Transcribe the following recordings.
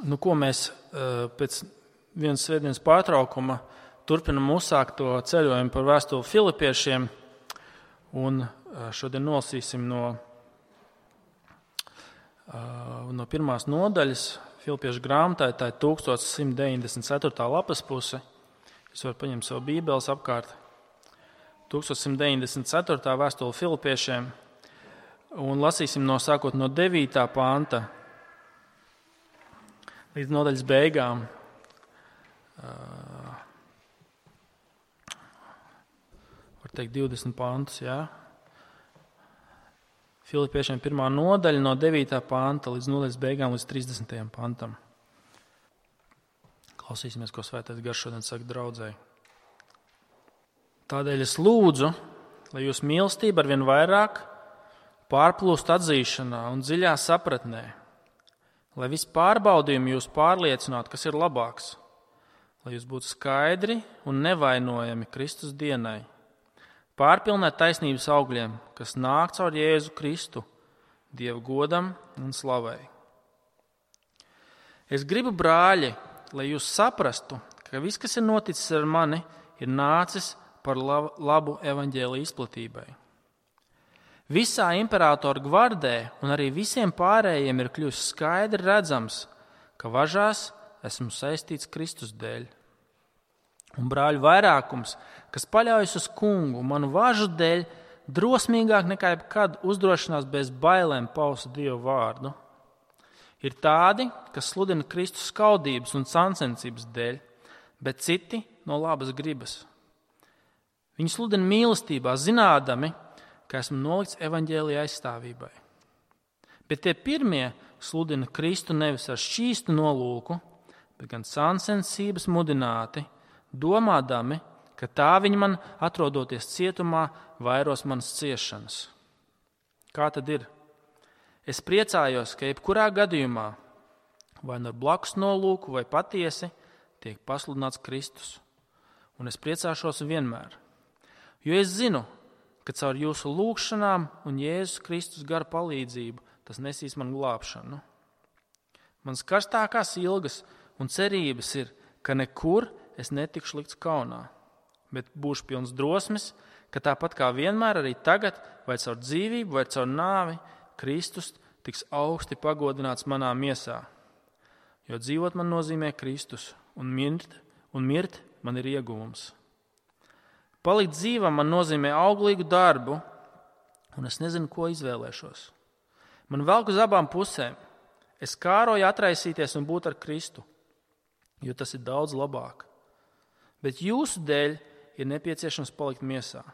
Ko mēs pēc vienas svētdienas pārtraukuma turpinam uzsākt to ceļojumu par vēstuli Filipiešiem, un šodien nolasīsim no pirmās nodaļas Filipiešu grāmatā, tā ir 1194. lapas puse. Jūs varat paņemt savu bībeles apkārt. 1194. vēstule Filipiešiem, un lasīsim sākot no 9. panta līdz nodaļas beigām. Var teikt 20 pantus, jā. Filipiešiem 1. nodaļa no 9. panta līdz nodaļas beigām līdz 30. pantam. Klausīsimies, ko Svētais Gars šodien saka draudzei. Tādēļ es lūdzu, lai jūs mīlestība arvien vairāk pārplūst atzīšanā un dziļā sapratnē, lai viss pārbaudījumi jūs pārliecinātu, kas ir labāks, lai jūs būtu skaidri un nevainojami Kristus dienai, pārpilnēt taisnības augļiem, kas nāk caur Jēzu Kristu, Dieva godam un slavai. Es gribu, brāļi, lai jūs saprastu, ka viss, kas ir noticis ar mani, ir nācis par labu evaņģēlija izplatībai. Visā imperatora gvardē un arī visiem pārējiem ir kļuvis skaidri redzams, ka važās esmu saistīts Kristus dēļ. Un brāļu vairākums, kas paļaujas uz kungu, manu važu dēļ, drosmīgāk nekā jebkad uzdrošinās bez bailēm paust Dievu vārdu. Ir tādi, kas sludina Kristus skaudības un sāncensības dēļ, bet citi no labas gribas. Viņi sludina mīlestībā, zinādami, ka esmu nolikts evaņģēlija aizstāvībai. Bet tie pirmie sludina Kristu nevis ar šķīstu nolūku, bet gan sāncensības mudināti, domādami, ka tā viņi man, atrodoties cietumā, vairos manas ciešanas. Kā tad ir? Es priecājos, ka jebkurā gadījumā, vai ar blakus nolūku, vai patiesi, tiek pasludināts Kristus. Un es priecāšos vienmēr. Jo es zinu, ka caur jūsu lūgšanām un Jēzus Kristus gara palīdzību tas nesīs man glābšanu. Mans karstākās ilgas un cerības ir, ka nekur es netikšu likts kaunā, bet būšu pilns drosmes, ka tāpat kā vienmēr arī tagad, vai caur dzīvību, vai caur nāvi, Kristus tiks augsti pagodināts manā miesā. Jo dzīvot man nozīmē Kristus, un mirt man ir ieguvums. Palikt dzīvam man nozīmē auglīgu darbu, un es nezinu, ko izvēlēšos. Man velk uz abām pusēm. Es kāroju atraisīties un būt ar Kristu, jo tas ir daudz labāk. Bet jūsu dēļ ir nepieciešams palikt miesā.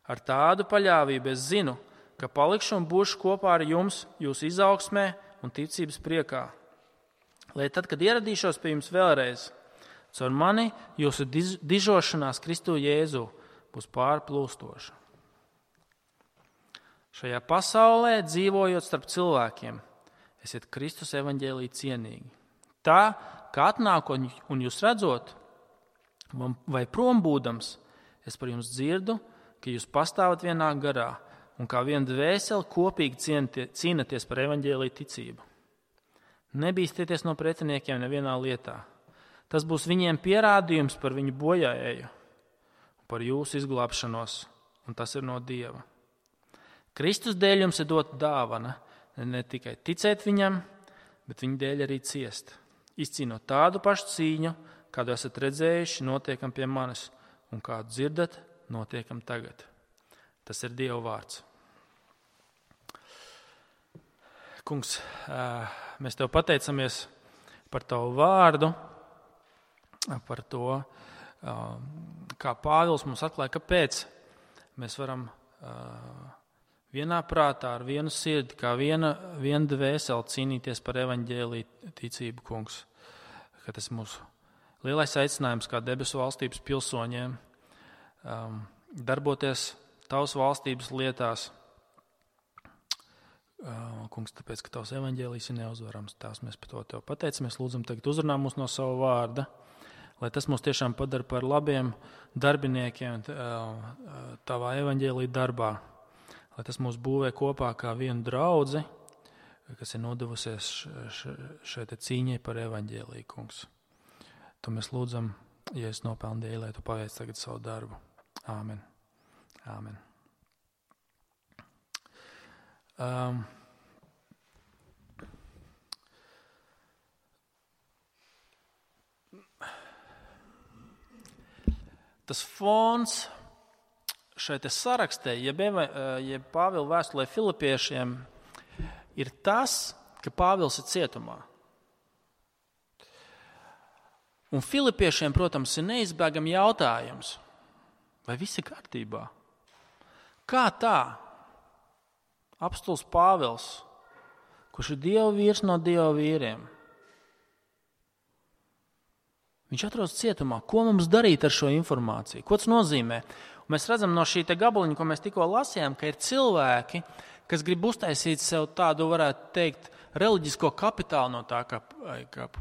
Ar tādu paļāvību es zinu, ka palikšu un būšu kopā ar jums jūsu izaugsmē un ticības priekā. Lai tad, kad ieradīšos pie jums vēlreiz, caur mani jūsu dižošanās Kristu Jēzu būs pārplūstoša. Šajā pasaulē, dzīvojot starp cilvēkiem, esiet Kristus evaņģēlī cienīgi. Tā, kā atnākot un jūs redzot, vai prom būdams, es par jums dzirdu, ka jūs pastāvat vienā garā un kā viena dvēseli kopīgi cīnaties par evaņģēlī ticību. Nebīsties no pretiniekiem nevienā lietā. Tas būs viņiem pierādījums par viņu bojāēju, par jūsu izglābšanos, un tas ir no Dieva. Kristus dēļ jums ir dota dāvana, ne tikai ticēt viņam, bet viņa dēļ arī ciest. Izcīnot tādu pašu cīņu, kādu esat redzējuši, notiekam pie manis, un kādu dzirdat, notiekam tagad. Tas ir Dieva vārds. Kungs, mēs tev pateicamies par tavu vārdu, par to, kā Pāvils mums atklāja, kāpēc mēs varam vienā prātā ar vienu sirdi, kā viena dvēseli cīnīties par evaņģēliju ticību, kungs. Ka tas ir mūsu lielais aicinājums kā debesu valstības pilsoņiem darboties tavas valstības lietās. Kungs, tāpēc, ka tavs evaņģēlijs ir neuzvarams. Tās mēs par to tev pateicamies. Lūdzam tagad uzrunā mūs no sava vārda, lai tas mūs tiešām padara par labiem darbiniekiem tavā evaņģēlija darbā. Lai tas mūs būvē kopā kā vienu draudzi kas ir nodevusies šai cīņai par evaņģēliju, kungs. Tu mēs lūdzam, ja es nopelnu dēļ, lai tu paveic tagad savu darbu. Āmen. Āmen. Tas fons šai te sarakstē, jeb Pāvila vēstulē Filipiešiem, ir tas, ka Pāvils ir cietumā. Un Filipiešiem, protams, ir neizbēgami jautājums, vai viss ir kārtībā? Kā tā? Apostols Pāvils, kurš ir Dieva vīrs no Dieva vīriem, viņš atrodas cietumā. Ko mums darīt ar šo informāciju? Ko tas nozīmē? Un mēs redzam no šī te gabaliņa, ko mēs tikko lasījām, ka ir cilvēki, kas grib uztaisīt sev tādu, varētu teikt, reliģisko kapitālu no tā, ka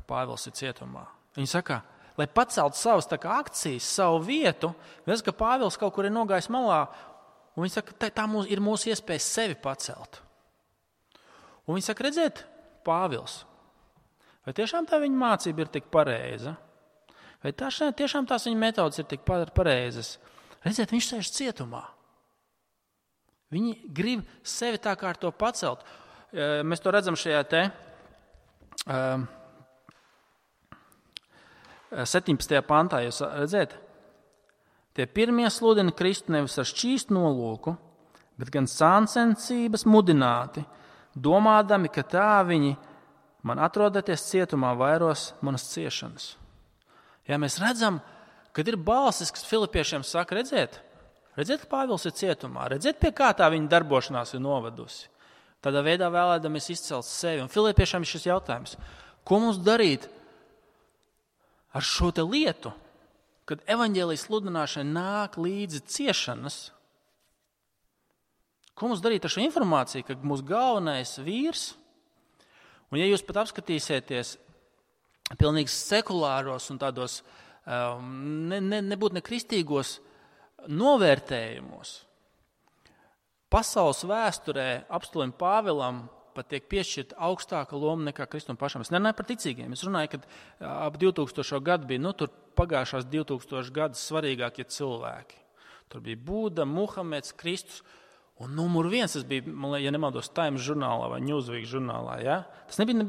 Pāvils ir cietumā. Viņi saka, lai paceltu savas akcijas, savu vietu, redz, ka Pāvils kaut kur ir nogājis malā, un viņi saka, tā ir mūsu iespēja sevi pacelt. Un viņi saka, redziet, Pāvils, vai tiešām tā viņa mācība ir tik pareiza? Vai tiešām tās viņa metodas ir tik pareizas? Redziet, viņš sēž cietumā. Viņi grib sevi tā kā ar to pacelt. Mēs to redzam šajā te 17. pantā, jūs redzēt? Tie pirmie sludina Kristu nevis ar šķīstu nolūku, bet gan sāncensības mudināti, domādami, ka tā viņi man atrodoties cietumā vairos manas ciešanas. Ja mēs redzam, kad ir balsis, kas Filipiešiem saka, redziet, ka Pāvils ir cietumā, redziet, pie kā tā viņa darbošanās ir novedusi. Tādā veidā vēlēdamies izcelt sevi. Un Filipiešiem ir šis jautājums, ko mums darīt ar šo te lietu, kad evaņģēlijas sludināšanai nāk līdzi ciešanas? Ko mums darīt ar šo informāciju, ka mūsu galvenais vīrs, un ja jūs pat apskatīsieties pilnīgi sekulāros un tādos nebūtu nekristīgos novērtējumos, pasaules vēsturē apostolim Pāvilam pat tiek piešķirta augstāka loma nekā Kristum pašam. Es nerunāju par ticīgiem. Es runāju, kad ap 2000. gadu bija, tur pagājušās 2000 gadus svarīgākie cilvēki. Tur bija Buda, Muhameds, Kristus. Un numur 1, tas bija, ja nemaldos, Times žurnālā vai Newsweek žurnālā. Ja? Tas nebija,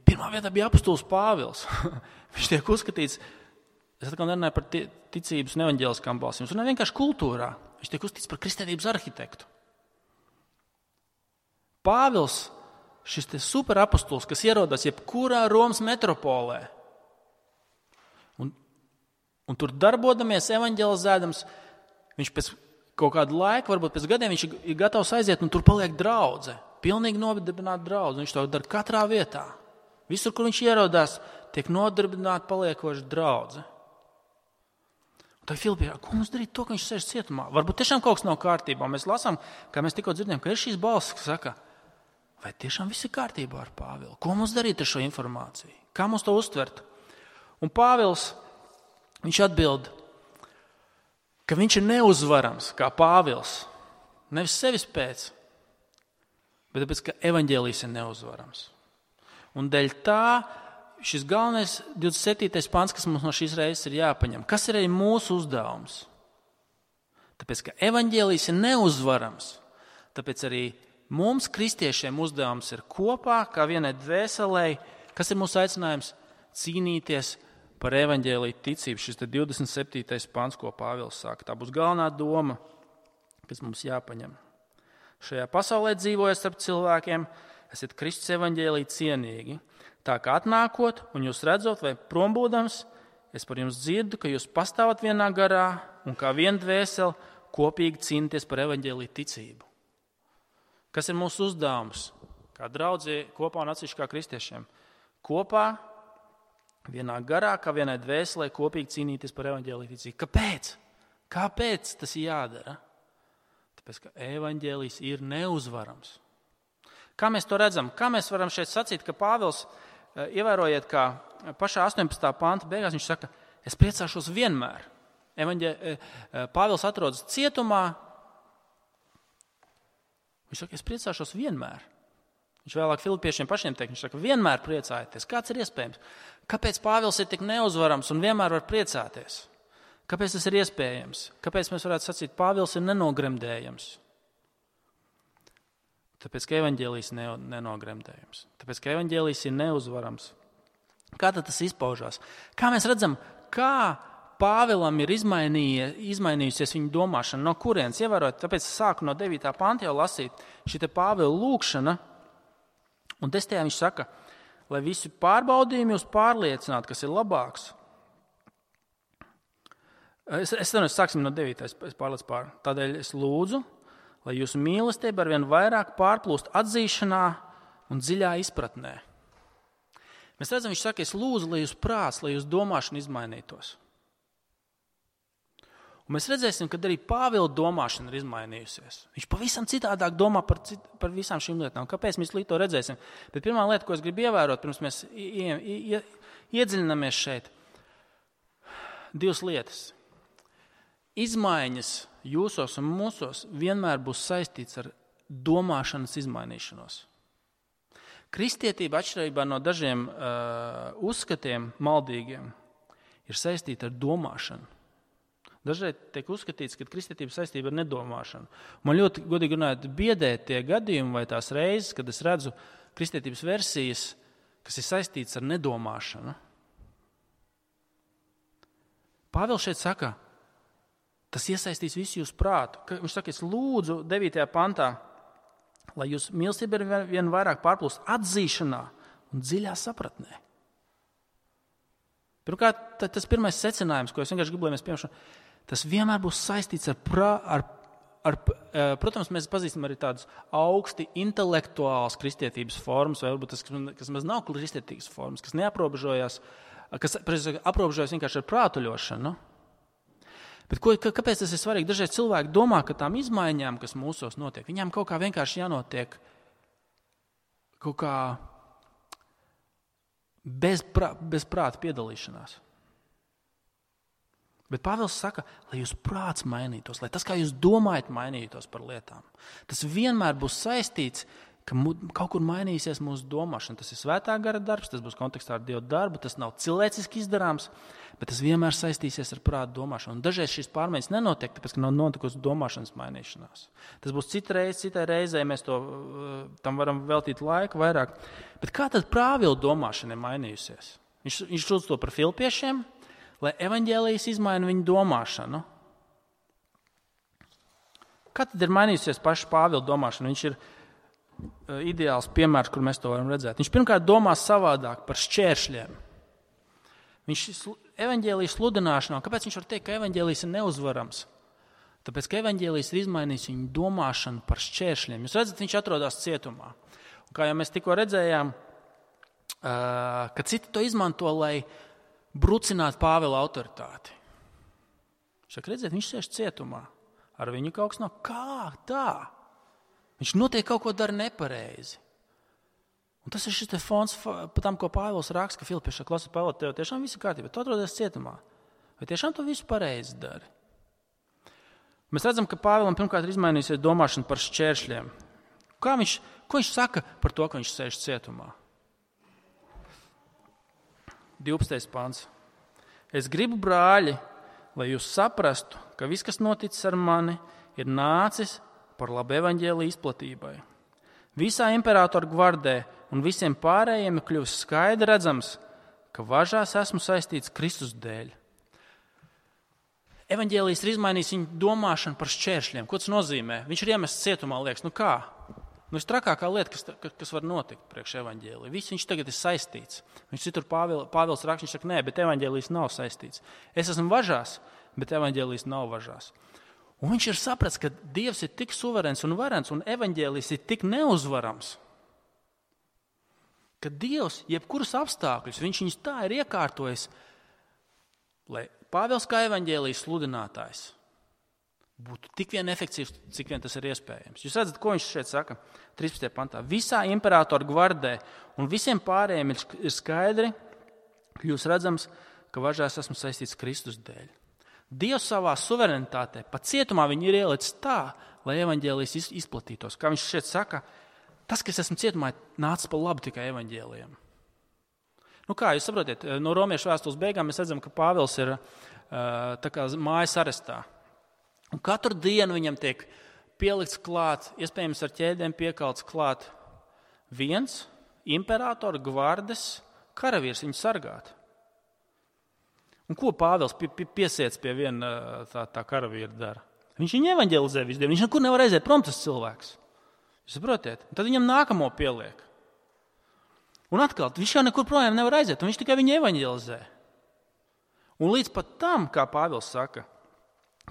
pirmā vietā bija apostols Pāvils. Viņš tiek uzskatīts, es atkal nerunāju par ticības un evaņģēliskām balsīm. Es runāju vienkārši kultūrā. Viņš tiek uzskatīts par kristietības arhitektu. Pāvils, šis te superapostols, kas ierodas jebkurā Romas metropolē, un tur darbodamies, evaņģelizēdams, viņš pēc kaut kādu laiku, varbūt pēc gadiem, viņš ir gatavs aiziet, un tur paliek draudze, pilnīgi nodarbināta draudze. Viņš to dara katrā vietā. Visur, kur viņš ierodās, tiek nodarbināta paliekoša draudze. Un tā Filipijā, ko mums darīt to, ka viņš sēž cietumā? Varbūt tiešām kaut kas nav kārtībā. Mēs lasām, kā mēs tikko dzirdējām, ka ir šīs balsis, kas saka, vai tiešām viss ir kārtībā ar Pāvilu? Ko mums darīt ar šo informāciju? Kā mums to uztvert? Un Pāvils, viņš atbild, ka viņš ir neuzvarams, kā Pāvils. Nevis sevis pēc, bet tāpēc, ka evaņģēlijs ir neuzvarams. Un dēļ tā šis galvenais 27. pants, kas mums no šīs reizes ir jāpaņem. Kas ir arī mūsu uzdevums? Tāpēc, ka evaņģēlijs ir neuzvarams, tāpēc arī mums, kristiešiem, uzdevums ir kopā, kā vienai dvēselei, kas ir mūsu aicinājums cīnīties par evaņģēliju ticību. Šis 27. pants, ko Pāvils saka, tā būs galvenā doma, kas mums jāpaņem. Šajā pasaulē dzīvojot starp cilvēkiem, esiet Kristus evaņģēliju cienīgi. Tā kā atnākot un jūs redzot vai prombūdams, es par jums dzirdu, ka jūs pastāvat vienā garā un kā viena dvēsele kopīgi cīnīties par evaņģēliju ticību. Kas ir mūsu uzdevums? Kā draudzē kopā un atsevišķi kā kristiešiem. Kopā, vienā garā, kā vienai dvēselē kopīgi cīnīties par evaņģēliju ticību. Kāpēc? Kāpēc tas ir jādara? Tāpēc, ka evaņģēlijs ir neuzvarams. Kā mēs to redzam? Kā mēs varam šeit sacīt, ka Pāvils, ievērojiet, kā pašā 18. panta beigās, viņš saka, es priecāšos vienmēr. Pāvils atrodas cietumā. Viņš saka, es priecāšos vienmēr. Viņš vēlāk Filipiešiem pašiem teikt, viņš saka, vienmēr priecājieties. Kāds ir iespējams? Kāpēc Pāvils ir tik neuzvarams un vienmēr var priecāties? Kāpēc tas ir iespējams? Kāpēc mēs varētu sacīt, Pāvils ir nenogremdējams? Tāpēc, ka evaņģēlijs ir nenogremdējams. Tāpēc, ka evaņģēlijs ir neuzvarams. Kā tad tas izpaužās? Kā mēs redzam, kā Pāvilam ir izmainījusies viņa domāšana? No kurienes? Ievērot, tāpēc es sāku no 9. panta jau lasīt šī te Pāvila lūkšana. Un 10. viņš saka, lai visi pārbaudījumi jūs pārliecinātu, kas ir labāks. Es sāksim no 9. Es pārliecu pār. Tādēļ es lūdzu, lai jūsu mīlestība arvien vairāk pārplūst atzīšanā un dziļā izpratnē. Mēs redzam, viņš saka, es lūdzu, lai jūs prāts, lai jūs domāšana izmainītos. Un mēs redzēsim, ka arī Pāvila domāšana ir izmainījusies. Viņš pavisam citādāk domā par visām šīm lietām. Kāpēc mēs līdz to redzēsim? Bet pirmā lieta, ko es gribu ievērot, pirms mēs iedziļināmies šeit, 2 lietas. Izmaiņas jūsos un mūsos vienmēr būs saistīts ar domāšanas izmainīšanos. Kristietība, atšķirībā no dažiem uzskatiem maldīgiem, ir saistīta ar domāšanu. Dažreiz tiek uzskatīts, ka kristietība saistība ar nedomāšanu. Man ļoti, godīgi runājot, biedē tie gadījumi vai tās reizes, kad es redzu kristietības versijas, kas ir saistīts ar nedomāšanu. Pāvils šeit saka, tas iesaistīs visu jūsu prātu. Viņš saka, es lūdzu 9. pantā, lai jūs mīlestība ir vien vairāk pārplūst atzīšanā un dziļā sapratnē. Pirmkārt, tas pirmais secinājums, ko es vienkārši gribu, lai mēs piemēram, tas vienmēr būs saistīts protams, mēs pazīstam arī tādas augsti intelektuālas kristietības formas, vai varbūt tas, kas maz nav kristietības formas, kas neaprobežojas, kas aprobežojas vienkārši ar prātuļošanu. Bet kāpēc tas ir svarīgi? Dažreiz cilvēki domā, ka tām izmaiņām, kas mūsos notiek, viņām kaut kā vienkārši jānotiek kaut kā bez prāta piedalīšanās. Bet Pāvils saka, lai jūs prāts mainītos, lai tas, kā jūs domājat, mainītos par lietām. Tas vienmēr būs saistīts, ka kaut kur mainīsies mūsu domāšana. Tas ir svētā gara darbs, tas būs kontekstā ar Dievu darbu, tas nav cilvēciski izdarāms, bet tas vienmēr saistīsies ar prātu domāšanu. Un dažreiz šīs pārmaiņas nenotiek, tāpēc, ka nav notikusi domāšanas mainīšanās. Tas būs citai reizei, mēs tam varam veltīt laiku vairāk. Bet kā tad Pāvila domāšana ir mainījusies? Viņš lūdz to par Filipiešiem, lai evaņģēlijs izmaina viņu domāšanu. Kā tad ir mainījusies paša Pāvila domāšana? Viņš ir ideāls piemērs, kur mēs to varam redzēt. Viņš pirmkārt domā savādāk par šķēršļiem. Viņš evaņģēlijas sludināšanā, kāpēc viņš var teikt, ka evaņģēlijs ir neuzvarams? Tāpēc, ka evaņģēlijs ir izmainījis viņu domāšanu par šķēršļiem. Jūs redzat, viņš atrodas cietumā. Un kā jau mēs tikko redzējām, ka citi to izmanto, lai brucinātu Pāvila autoritāti. Viņš sēž cietumā. Ar viņu kaut kas nav. Kā tā? Viņš noteikti kaut ko dara nepareizi. Un tas ir šis fons par tam, ko Pāvils raksta, ka Filipieši klasa Pāvils, tev tiešām viss ir kārtībā, tu atrodies cietumā. Vai tiešām tu visu pareizi dari? Mēs redzam, ka Pāvilam pirmkārt ir izmainījusies domāšana par šķēršļiem. Ko viņš saka par to, ka viņš sēž cietumā? 12. pants. Es gribu, brāļi, lai jūs saprastu, ka viss, kas noticis ar mani, ir nācis par labu evaņģēliju izplatībai. Visā imperatora gvardē un visiem pārējiem ir kļuvis skaidri redzams, ka važās esmu saistīts Kristus dēļ. Evaņģēlijs ir izmainījis viņu domāšanu par šķēršļiem. Ko tas nozīmē? Viņš ir iemests cietumā, liekas, kā? Trakākā lieta, kas var notikt priekš evaņģēlija. Viss viņš tagad ir saistīts. Viņš citur Pāvils raksta, viņš saka, nē, bet evaņģēlijs nav saistīts. Es esmu važās, bet evaņģēlijs nav važās. Un viņš ir sapratis, ka Dievs ir tik suverēns un varens, un evaņģēlijs ir tik neuzvarams, ka Dievs jebkurus apstākļus, viņš viņus tā ir iekārtojis, lai Pāvils kā evaņģēlijas sludinātājs būtu tik vien efektīvs, cik vien tas ir iespējams. Jūs redzat, ko viņš šeit saka? 13. pantā. Visā imperatora gvardē un visiem pārējiem ir skaidri, kļūs redzams, ka važās esmu saistīts Kristus dēļ. Dievs savā suverenitātē, pat cietumā viņu ir ielicis tā, lai evaņģēlijs izplatītos. Kā viņš šeit saka, tas, ka es esmu cietumā, nācis par labu tikai evaņģēlijam. Kā jūs saprotiet, no Romiešu vēstules beigām mēs redzam, ka Pāvils ir tā kā mājas arestā. Un katru dienu viņam tiek pielikts klāt, iespējams ar ķēdēm piekalts klāt viens imperatora gvardes karavīrs viņu sargāt. Un ko Pāvils piesiec pie viena tā karavīra dara? Viņš viņu evaņģelizē visu dienu, viņš nekur nevar aiziet prom tas cilvēks. Jūs saprotiet? Tad viņam nākamo pieliek. Un atkal, viņš jau nekur projām nevar aiziet, un viņš tikai viņu evaņģelizē. Un līdz pat tam, kā Pāvils saka,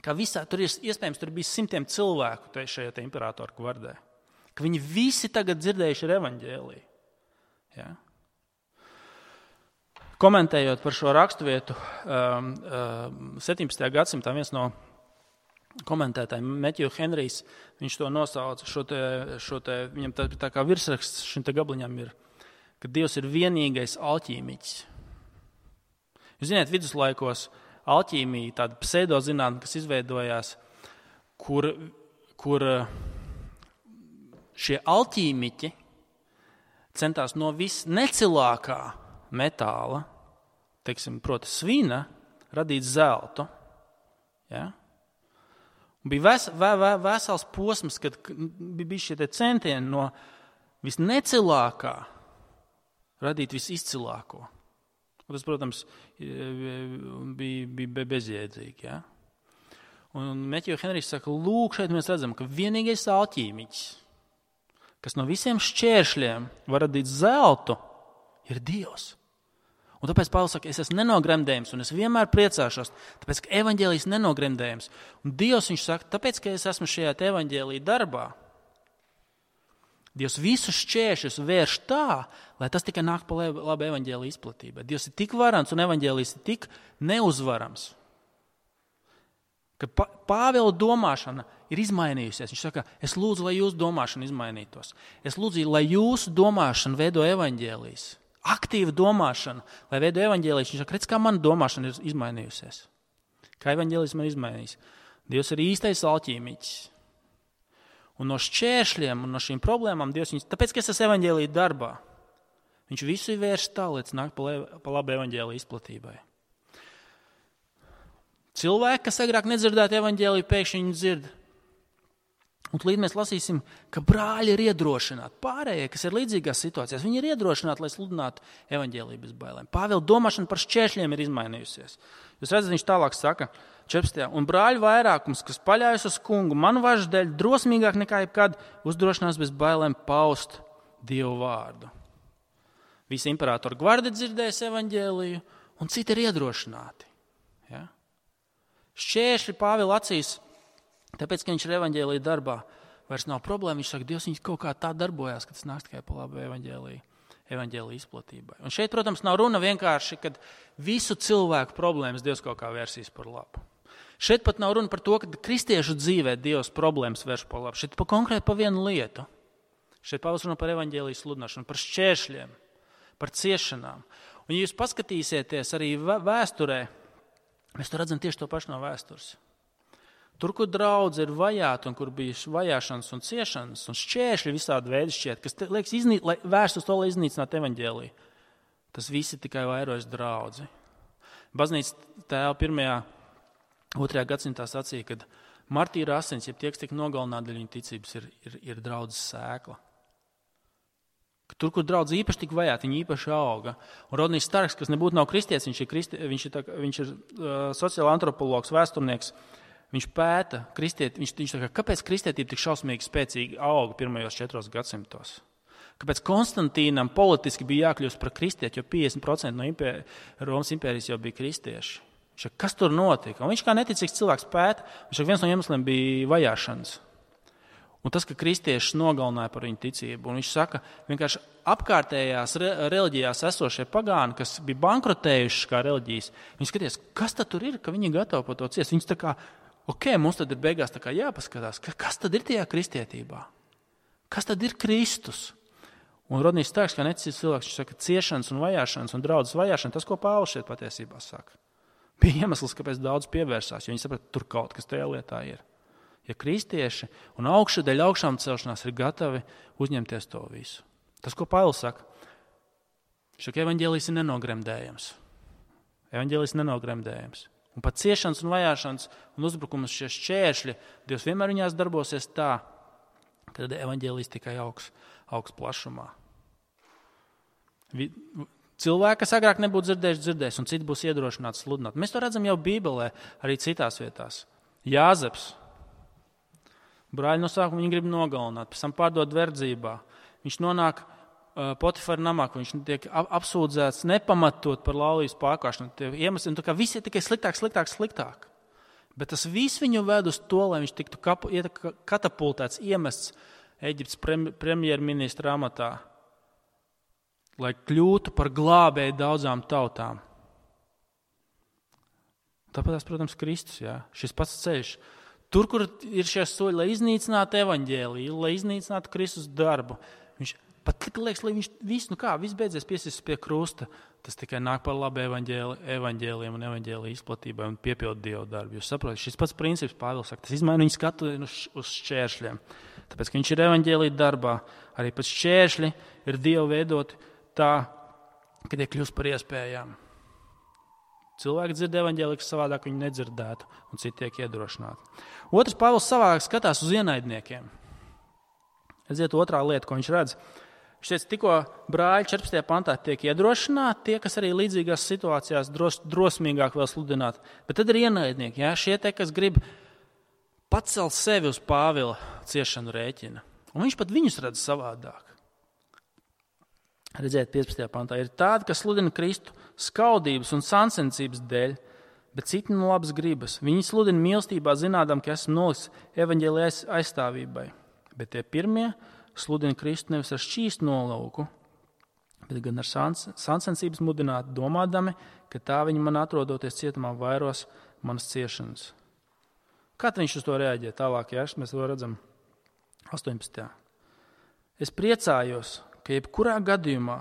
ka visā tur ir iespējams, tur bija 100 cilvēku šajā imperatora gvardē, ka viņi visi tagad dzirdējuši ar evaņģēliju. Ja? Komentējot par šo raksturvietu, 17. gadsimtā viens no komentētājiem, Matthew Henrijs, viņš to nosauca, viņam tā kā virsraksts šim te gabliņam ir, ka Dievs ir vienīgais alķīmiķis. Jūs zināt, viduslaikos alķīmija, tāda pseidozinātne, kas izveidojās, kur šie alķīmiķi centās no visnecilākā metāla, proti svina, radīt zeltu. Ja? Bija vesels posms, kad bija šie centieni no visnecilākā radīt visizcilāko. Un tas, protams, bija bezjēdzīgi. Ja? Un Matthew Henrijs saka, lūk, šeit mēs redzam, ka vienīgais alķīmiķis, kas no visiem šķēršļiem var radīt zeltu, ir Dievs. Un tāpēc Pāvils saka, es esmu nenogremdējams, un es vienmēr priecāšos, tāpēc, ka evaņģēlijs nenogremdējams. Un Dievs, viņš saka, tāpēc, ka es esmu šajā evaņģēlija darbā, Dievs visus šķēršļus vērš tā, lai tas tikai nāk pa labu evaņģēlija izplatībai. Dievs ir tik varants un evaņģēlijs ir tik neuzvarams, ka Pāvila domāšana ir izmainījusies. Viņš saka, es lūdzu, lai jūsu domāšana izmainītos. Es lūdzu, lai jūsu domāšana veido evaņģēlijs. Aktīva domāšana, lai veido evaņģēlijs. Viņš saka, redz, kā mana domāšana ir izmainījusies. Kā evaņģēlijs man izmainījis. Dievs ir īstais alķīmiķis. Un no šķēršļiem un no šīm problēmām Dievs viņus, tāpēc, ka es esmu evaņģēlija darbā, viņš visu vērš tā, līdz nāk pa labu evaņģēlija izplatībai. Cilvēki, kas agrāk nedzirdētu evaņģēliju, pēkšņi viņu dzird. Un līdz mēs lasīsim, ka brāļi ir iedrošināti. Pārējie, kas ir līdzīgās situācijās, viņi ir iedrošināti, lai sludinātu evaņģēliju bez bailēm. Pāvila domāšana par šķēršļiem ir izmainījusies. Jūs redzat, viņš tālāk saka, 14. Un brāļu vairākums, kas paļaujas uz kungu, manu važu dēļ drosmīgāk nekā jebkad uzdrošinās bez bailēm paust Dievu vārdu. Visi imperatora gvardi dzirdēs evaņģēliju, un citi ir iedrošināti. Ja? Šķēršļi Pāvila acīs, tāpēc, ka viņš ir evaņģēlija darbā, vairs nav problēma. Viņš saka, Dievs viņš kaut kā tā darbojās, ka tas nāks tikai pa labu evaņģēlija izplatībai. Un šeit, protams, nav runa vienkārši, kad visu cilvēku problēmas Dievs kaut kā vērsīs par labu. Šeit pat nav runa par to, ka kristiešu dzīvē Dievs problēmas vērš par labu. Šeit konkrēti par vienu lietu. Šeit Pāvils runā par evaņģēlijas sludināšanu, par šķēršļiem, par ciešanām. Un, ja jūs paskatīsieties arī vēsturē, mēs to redzam tieši to pašu no vēstures. Tur, kur draudze ir vajāta un kur bija vajāšanas un ciešanas un šķēršļi visādi veidi šķiet, kas liekas vērst uz to, lai iznīcinātu evaņģēliju, tas visi tikai vairojas draudzi. Baznīcas tēva 2. gadsimtā sacīja, ka martīra asins, ja tie, kas tiek nogalināti dēļ viņa ticības, ir draudzes sēkla. Tur, kur draudze īpaši tik vajāti, viņi īpaši auga. Un Rodnijs Starks, kas nebūtu nav kristietis, viņš ir sociāla antropologs, vēsturnieks, viņš pēta kristieti, viņš saka, kāpēc kristietība tik šausmīgi spēcīgi auga pirmajos 4 gadsimtos? Kāpēc Konstantīnam politiski bija jākļūst par kristieti, jo 50% no Romas impērijas jau bija kristieši? Viņš saka, kas tur notika? Un viņš kā neticīgs cilvēks pēta, viņš saka, viens no iemesliem bija vajāšanas. Un tas, ka kristiešus nogalināja par viņu ticību. Un viņš saka, vienkārši apkārtējās reliģijās esošie pagāni, kas bija bankrotējuši kā reliģijas, viņi skaties, kas tad tur ir, ka viņi gatavi par to ciest. Viņš tā kā, mums tad ir beigās tā kā jāpaskatās, kas tad ir tajā kristietībā? Kas tad ir Kristus? Un Rodnijs Starks, kā neticīgs cilvēks, viņš saka, ciešanas un vajāšanas un draudzes vajāšana, tas, ko Pāvils šeit patiesībā saka. Bija iemesls, kāpēc daudz pievērsās, jo viņi saprata, tur kaut kas tajā lietā ir. Ja kristieši un dēļ augšām celšanās ir gatavi uzņemties to visu. Tas, ko Pāvils saka, ka evaņģēlijs ir nenogremdējams. Evaņģēlijs nenogremdējams. Un pat ciešanas un vajāšanas un uzbrukumus šie šķēršļi, Dievs vienmēr viņās darbosies tā, kad evaņģēlijs tikai augs plašumā. Cilvēki, kas agrāk nebūtu dzirdējuši, un citi būs iedrošināti sludināt. Mēs to redzam jau Bībelē, arī citās vietās. Jāzeps. Brāļi no sākuma viņu grib nogalināt, pēc tam pārdot verdzībā. Viņš nonāk Potifara namā, ka viņš tiek apsūdzēts nepamatot par laulības pārkāpšanu. Tā kā viss ir tikai sliktāk. Bet tas viss viņu ved uz to, lai viņš tiktu katapultēts, iemests Eģiptes premjerministra amatā, lai kļūtu par glābēju daudzām tautām. Tāpēc, protams, Kristus, šis pats ceļš. Tur, kur ir šie soļi, lai iznīcinātu evaņģēliju, lai iznīcinātu Kristus darbu, viņš pat liekas, lai viņš viss beidzies piesist pie krusta, tas tikai nāk par labu evaņģēliem un evaņģēliju izplatībai un piepildu Dievu darbu. Jūs saprotat, šis pats princips, Pāvils saka, tas izmaina viņu skatu uz šķēršļiem. Tāpēc, ka viņš ir evaņģēlija darbā, arī pēc šķēršļi ir Dievu veidoti tā, ka tie kļūst par iespējām. Cilvēki dzird evaņģēliju, kas savādāk viņu nedzirdētu, un citi tiek iedrošināti. Otrs, Pāvils savādāk skatās uz ienaidniekiem. Redziet, otrā lieta, ko viņš redz. Viņš teica, tikko brāļi 14. pantā tiek iedrošināti, tie, kas arī līdzīgās situācijās drosmīgāk vēl sludināt. Bet tad ir ienaidnieki, šie te, kas grib pacelt sevi uz Pāvila ciešanu rēķina. Un viņš pat viņus redz savādāk. Redziet, 15. pantā ir tādi, kas sludina Kristu skaudības un sancensības dēļ, bet citi no labas gribas. Viņi sludina mīlestībā, zinādam, ka esmu nolikts evaņģēlijas aizstāvībai. Bet tie pirmie sludina Kristu nevis ar šķīstu nolūku, bet gan ar sancensības mudināti, domādami, ka tā viņi man atrodoties cietumā vairos manas ciešanas. Kā viņš uz to reaģē tālāk, mēs to redzam 18. Es priecājos, ka jebkurā gadījumā,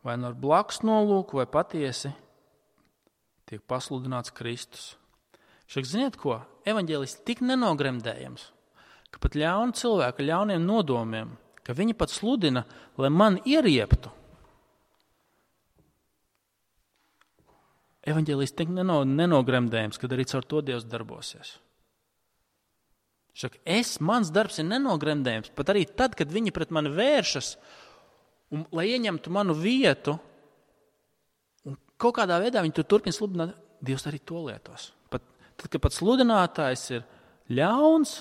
vai no blakus nolūku, vai patiesi, tiek pasludināts Kristus. Šak, ziniet ko? Evaņģēlijs tik nenogremdējams, ka pat ļauni cilvēki, ļauniem nodomiem, ka viņi pat sludina, lai man ierieptu. Evaņģēlijs tik nenogremdējams, kad arī caur to Dievs darbosies. Šak, mans darbs ir nenogremdējams, pat arī tad, kad viņi pret mani vēršas, un, lai ieņemtu manu vietu, un kaut kādā veidā viņi tur turpina sludināt, Dievs arī to lietos. Tad, kad pat sludinātājs ir ļauns,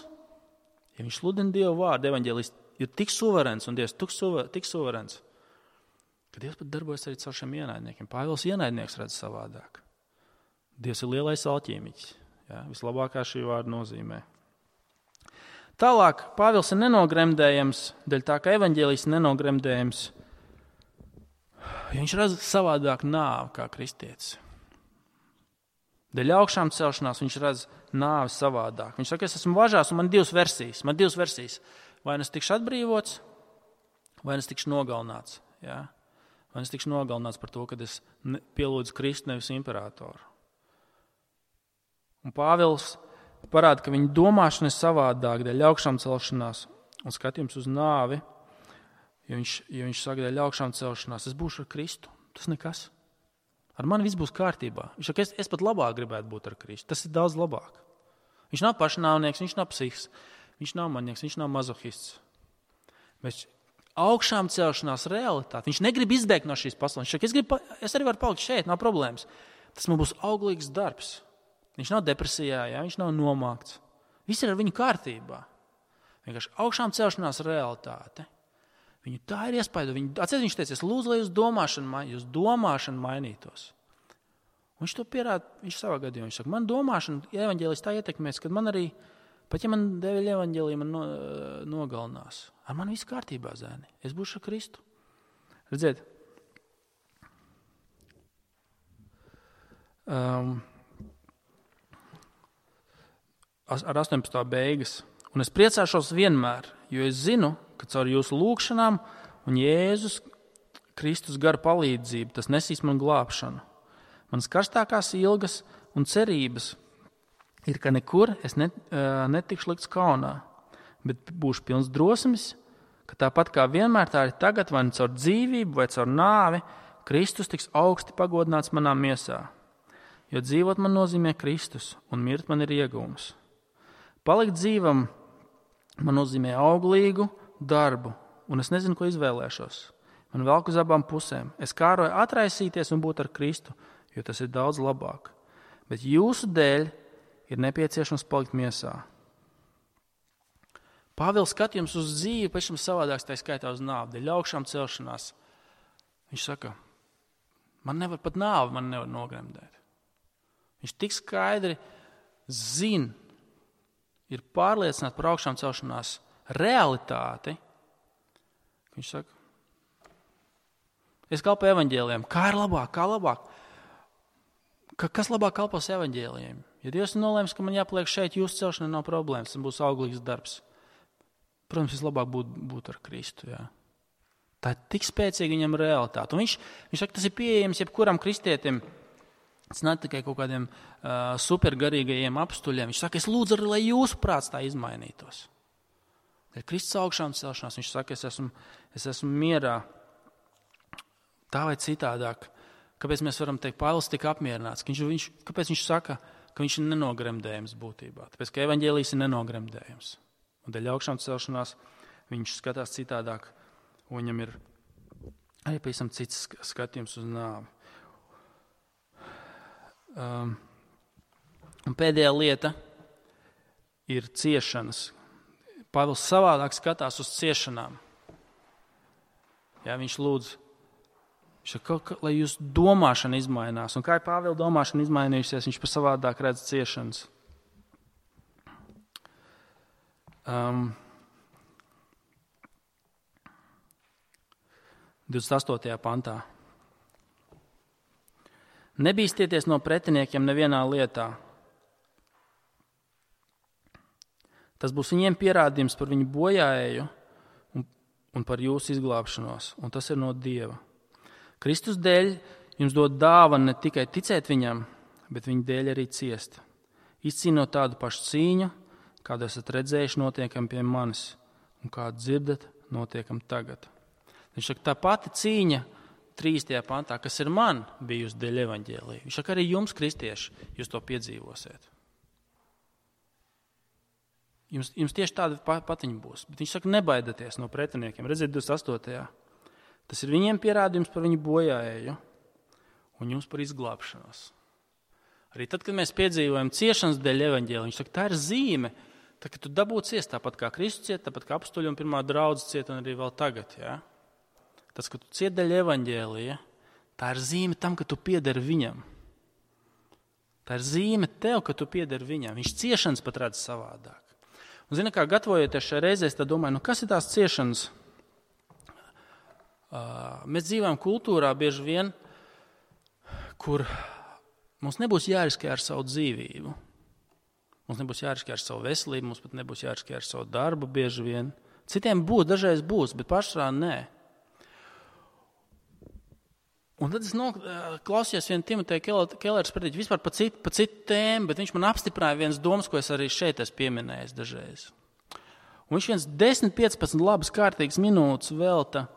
ja viņš sludina Dievu vārdu, evaņģēlijs ir tik suverēns un Dievs tik suverēns, ka Dievs pat darbojas arī caur šiem ienaidniekiem. Pāvils ienaidnieks redz savādāk. Dievs ir lielais alķīmiķis, vislabākā šī vārda nozīmē. Tālāk, Pāvils ir nenogremdējams, dēļ tā, ka evaņģēlijs ir nenogremdējams, jo viņš redz savādāk nāvi kā kristietis. Dēļ augšām celšanās viņš redz nāvi savādāk. Viņš saka, es esmu važās un man divas versijas. Vai es tikšu atbrīvots, vai es tikšu nogalināts. Vai es tikšu nogalināts par to, ka es pielūdzu Kristu, nevis imperatoru. Un Pāvils parāda, ka viņa domāšana ir savādāk dēļ augšām celšanās un skatījums uz nāvi, jo viņš saka, dēļ augšām celšanās, es būšu ar Kristu, tas nekas. Ar mani viss būs kārtībā. Viņš saka, es pat labāk gribētu būt ar Kristu, tas ir daudz labāk. Viņš nav pašnāvnieks, viņš nav psihs, viņš nav manieks, viņš nav mazohists. Bet augšām celšanās realitāte, viņš negrib izbēgt no šīs pasaules. Viņš saka, es arī varu palikt šeit, nav problēmas. Tas man būs auglīgs darbs. Viņš nav depresijā, viņš nav nomākts. Viss ir ar viņu kārtībā. Vienkārši augšām celšanās realitāte. Viņu tā ir iespēja. Viņš teica, es lūdzu, lai jūs domāšana mainītos. Un viņš to pierāda, viņš savā gadījumā. Viņš saka, man domāšana, evaņģēlijs tā ietekmēs, kad man arī, pat ja man dēļ evaņģēlija man nogalinās. Ar man viss kārtībā, zēni. Es būšu ar Kristu. Redziet. Ar 18. beigas. Un es priecāšos vienmēr, jo es zinu, ka caur jūsu lūgšanām un Jēzus Kristus gara palīdzību tas nesīs man glābšanu. Manas karstākās ilgas un cerības ir, ka nekur es netikšu likts kaunā, bet būšu pilns drosmes, ka tāpat kā vienmēr tā ir tagad, vai caur dzīvību, vai caur nāvi, Kristus tiks augsti pagodināts manā miesā. Jo dzīvot man nozīmē Kristus, un mirt man ir iegūms. Palikt dzīvam man nozīmē auglīgu darbu, un es nezinu, ko izvēlēšos. Man velk uz abām pusēm. Es kāroju atraisīties un būt ar Kristu, jo tas ir daudz labāk. Bet jūsu dēļ ir nepieciešams palikt miesā. Pāvils skatījums uz dzīvi pašam savādāks, tā skaitā uz nāvi, dēļ augšām celšanās. Viņš saka, man nevar pat nāvi, man nevar nogremdēt. Viņš tik skaidri zina, ir pārliecināts par augšām celšanās realitāti. Viņš saka, es kalpoju evaņģēlijiem. Kā ir labāk? Kā labāk? Kas labāk kalpos evaņģēlijiem? Ja Dievs nolēms, ka man jāpaliek šeit, jūsu celšana nav problēmas, tas būs auglīgs darbs. Protams, vislabāk būt ar Kristu. Jā. Tā ir tik spēcīga viņam realitāte. Un viņš saka, tas ir pieejams jebkuram kristietim. Tas nav tikai kaut kādiem supergarīgajiem apstuļiem. Viņš saka, es lūdzu, lai jūsu prāts tā izmainītos. Kad Kristus augšām celšanās, viņš saka, es esmu mierā. Tā vai citādāk. Kāpēc mēs varam teikt, Pāvils tik apmierināts? Kāpēc viņš saka, ka viņš ir nenogremdējams būtībā? Tāpēc, ka evaņģēlijs ir nenogremdējams. Un dēļ augšām celšanās viņš skatās citādāk. Un viņam ir arī pavisam cits skatījums uz nāvi. Un pēdējā lieta ir ciešanas. Pāvils savādāk skatās uz ciešanām. Jā, viņš lūdz, lai jūsu domāšana izmainās. Un kā ir Pāvila domāšana izmainījusies, viņš pa savādāk redz ciešanas. 28. pantā. Nebīstieties no pretiniekiem nevienā lietā. Tas būs viņiem pierādījums par viņu bojāēju un par jūsu izglābšanos, un tas ir no Dieva. Kristus dēļ jums dod dāvanu ne tikai ticēt viņam, bet viņa dēļ arī ciest. Izcīnot tādu pašu cīņu, kādu esat redzējuši notiekam pie manis, un kādu dzirdat notiekam tagad. Viņš saka, tā pati cīņa 3. pantā, kas ir man bijusi dēļ evaņģēlija. Viņš saka, arī jums, kristieši, jūs to piedzīvosiet. Jums tieši tāda patiņa būs. Bet viņš saka, nebaidieties no pretiniekiem. Redziet, 28. Tas ir viņiem pierādījums par viņu bojāēju un jums par izglābšanos. Arī tad, kad mēs piedzīvojam ciešanas dēļ evaņģēlija, viņš saka, tā ir zīme, tā, ka tu dabū ciest, tāpat kā Kristus ciet, tāpat kā apustuļi un pirmā draudze ciet un arī vēl tagad. Ja? Tas, ka tu ciet dēļ evaņģēlija, tā ir zīme tam, ka tu piederi viņam. Tā ir zīme tev, ka tu piederi viņam. Viņš ciešanas pat redz savādāk. Un zini, kā gatavojoties šai reizē, es domāju, kas ir tās ciešanas? Mēs dzīvojam kultūrā bieži vien, kur mums nebūs jāriskē ar savu dzīvību. Mums nebūs jāriskē ar savu veselību, mums pat nebūs jāriskē ar savu darbu bieži vien. Citiem būs, dažreiz būs, bet pašā nē. Un tad es klausījos vienu Timoteja Kelleres prediķi vispār pa citu tēmu, bet viņš man apstiprināja vienas domas, ko es arī šeit esmu pieminējis dažreiz. Un viņš 10-15 labas kārtīgas minūtes velta.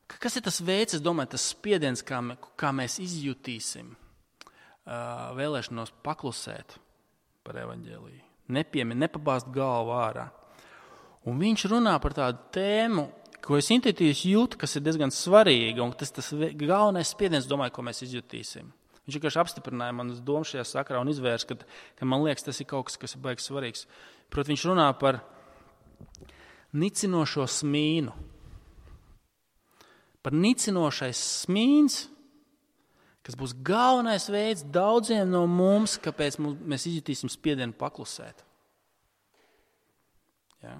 Kas ir tas veids, es domāju, tas spiediens, kā mēs izjutīsim vēlēšanos paklusēt par evaņģēliju. Nepabāzt galvu ārā. Un viņš runā par tādu tēmu, ko es intuitīvi jūtu, kas ir diezgan svarīga, un tas galvenais spiediens, domāju, ko mēs izjutīsim. Viņš vienkārši apstiprināja manas domas šajā sakarā un izvērs, ka man liekas, tas ir kaut kas ir baigs svarīgs. Protams, viņš runā par nicinošo smīnu. Par nicinošais smīns, kas būs galvenais veids daudziem no mums, kāpēc mēs izjutīsim spiedienu paklusēt. Ja?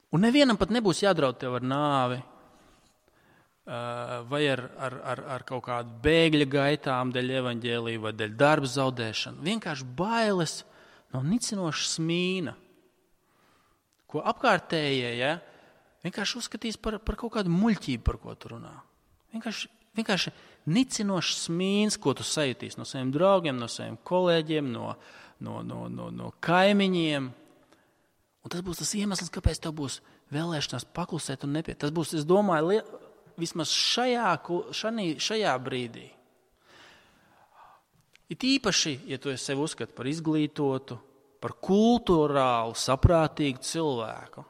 Un nevienam pat nebūs jādraud tev ar nāvi vai ar kaut kādu bēgļa gaitām dēļ evaņģēlija vai dēļ darba zaudēšanu. Vienkārši bailes no nicinoša smīna, ko apkārtējie vienkārši uzskatīs par kaut kādu muļķību, par ko tu runā. Vienkārši vienkārši nicinošs smīns, ko tu sajutīsi no saviem draugiem, no saviem kolēģiem, no kaimiņiem. Un tas būs tas iemesls, kāpēc tev būs vēlēšanās paklusēt un nepiet. Tas būs, es domāju, vismaz šajā brīdī. It īpaši, ja tu sevi uzskati par izglītotu, par kultūrālu, saprātīgu cilvēku.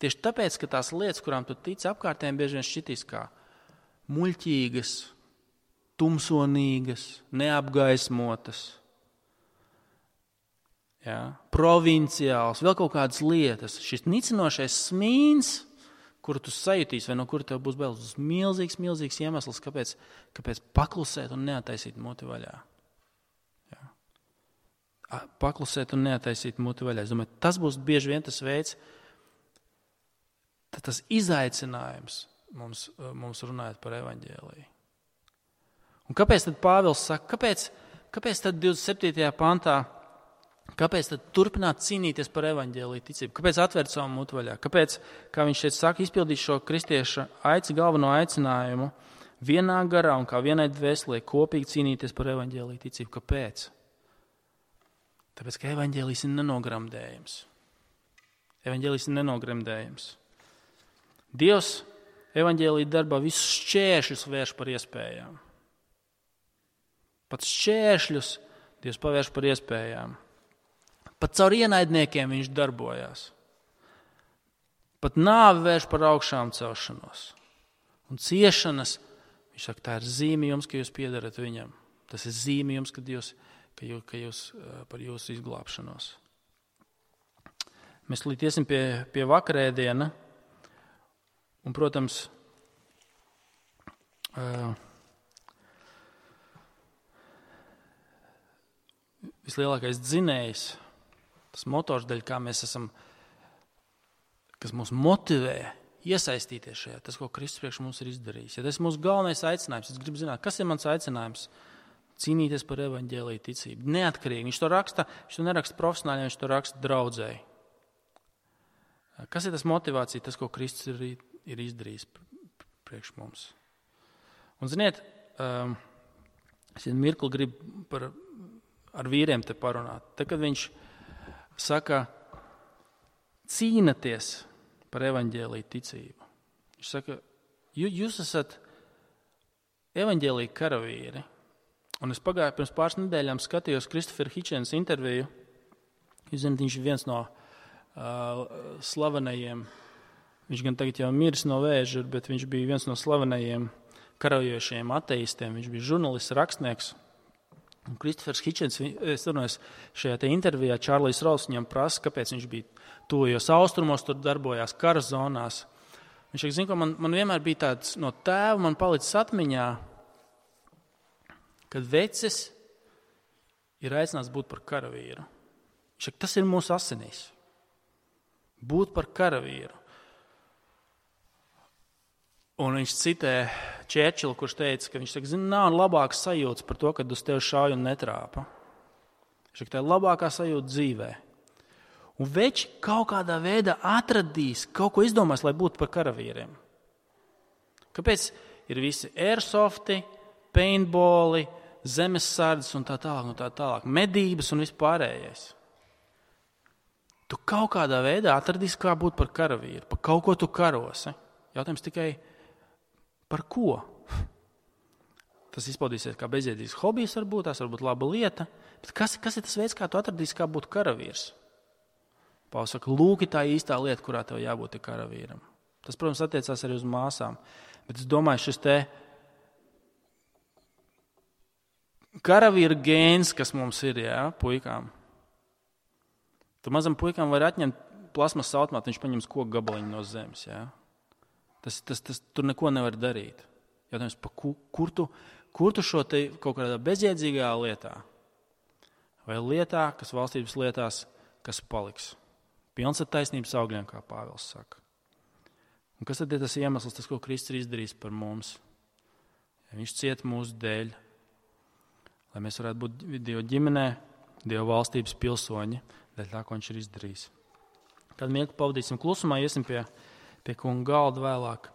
Tieši tāpēc, ka tās lietas, kurām tu tici apkārtējiem, bieži vien šķitīs kā muļķīgas, tumsonīgas, neapgaismotas, provinciāls, vēl kaut kādas lietas. Šis nicinošais smīns, kuru tu sajutīsi, vai no kura tev būs bailes, milzīgs iemesls, kāpēc paklusēt un neataisīt muti vaļā. Paklusēt un neataisīt muti vaļā. Es domāju, tas būs bieži vien tas veids, tas izaicinājums mums runājot par evaņģēliju. Un kāpēc tad Pāvils saka, kāpēc tad 27. pantā, kāpēc tad turpināt cīnīties par evaņģēliju ticību? Kāpēc atvērt savu mutu vaļā? Kāpēc, kā viņš šeit saka, izpildīt šo kristieša galveno aicinājumu vienā garā un kā vienai dvēselē kopīgi cīnīties par evaņģēliju ticību? Kāpēc? Tāpēc, ka evaņģēlijs ir nenogramdējams. Evaņģēlijs ir nenogremdējams. Dievs evaņģēlija darbā visus šķēršļus vērš par iespējām. Pat šķēršļus Dievs pavērš par iespējām. Pat caur ienaidniekiem viņš darbojās. Pat nāvi vērš par augšām celšanos. Un ciešanas, viņš saka, tā ir zīme jums, ka jūs piedarat viņam. Tas ir zīme jums, ka jūs par jūsu izglābšanos. Mēs līdz iesim pie vakarēdiena. Un, protams, vislielākais dzinējs, tas motors, daļ, kā mēs esam, kas mūs motivē iesaistīties šajā, tas, ko Kristus priekš mums ir izdarījis. Ja tas ir mūsu galvenais aicinājums, es gribu zināt, kas ir mans aicinājums? Cīnīties par evaņģēliju ticību. Neatkarīgi. Viņš to neraksta profesionāli, viņš to raksta draudzēji. Kas ir tas motivācija, tas, ko Kristus ir izdarījis priekš mums? Un, ziniet, es mirkli gribu ar vīriem te parunāt. Tad, kad viņš saka, cīnaties par evaņģēliju ticību. Viņš saka, jūs esat evaņģēliju karavīri. Un es pirms pāris nedēļām skatījos Christopher Hitchens interviju. Jūs zināt, viņš ir viens no slavenajiem, viņš gan tagad jau miris no vēža, bet viņš bija viens no slavenajiem karajošajiem ateistiem. Viņš bija žurnālists, rakstnieks. Un Christophers Hitchens, es runāju, šajā te intervijā Čārlijs Rauls viņam prasa, kāpēc viņš bija tuvajos austrumos, tur darbojās kara zonās. Viņš saka, zin, ka man vienmēr bija tāds no tēva, man palicis atmiņā, kad vecis ir aicināts būt par karavīru. Viņš saka, tas ir mūsu asinīs. Būt par karavīru. Un viņš citē Čērčilu, kurš teica, ka viņš saka, zin, nav labāks sajūtas par to, kad uz tevi šauj un netrāpa. Viņš saka, tā ir labākā sajūta dzīvē. Un veči kaut kādā veidā atradīs, kaut ko izdomās, lai būtu par karavīriem. Kāpēc ir visi airsofti, paintballi, zemessardzes un tā tālāk, medības un vispārējais. Tu kaut kādā veidā atradīsi, kā būt par karavīru, par kaut ko tu karosi. Jautājums tikai par ko? Tas izpaudīsies kā bezjēdzīgs hobijs varbūt, tās varbūt laba lieta, bet kas ir tas veids, kā tu atradīsi, kā būt karavīrs? Pāvils saka, lūk, tā īstā lieta, kurā tev jābūt karavīram. Tas, protams, attiecās arī uz māsām, bet es domāju, šis te karavīra gēns, kas mums ir, puikām. Tu mazam puikām var atņemt plasmas automātu, viņš paņems koku gabaliņu no zemes. Tas tur neko nevar darīt. Jautājums, kur tu šo te kaut kādā bezjēdzīgā lietā vai lietā, kas valstības lietās, kas paliks? Pilns ar taisnības augļiem, kā Pāvils saka. Un kas tad ir tas iemesls, tas, ko Kristus ir izdarījis par mums? Ja viņš ciet mūsu dēļ, lai mēs varētu būt Dieva ģimenē, Dieva valstības pilsoņi, dēļ tā, ko viņš ir izdarījis. Kad mirkli pavadīsim klusumā, iesim pie kunga galda vēlāk.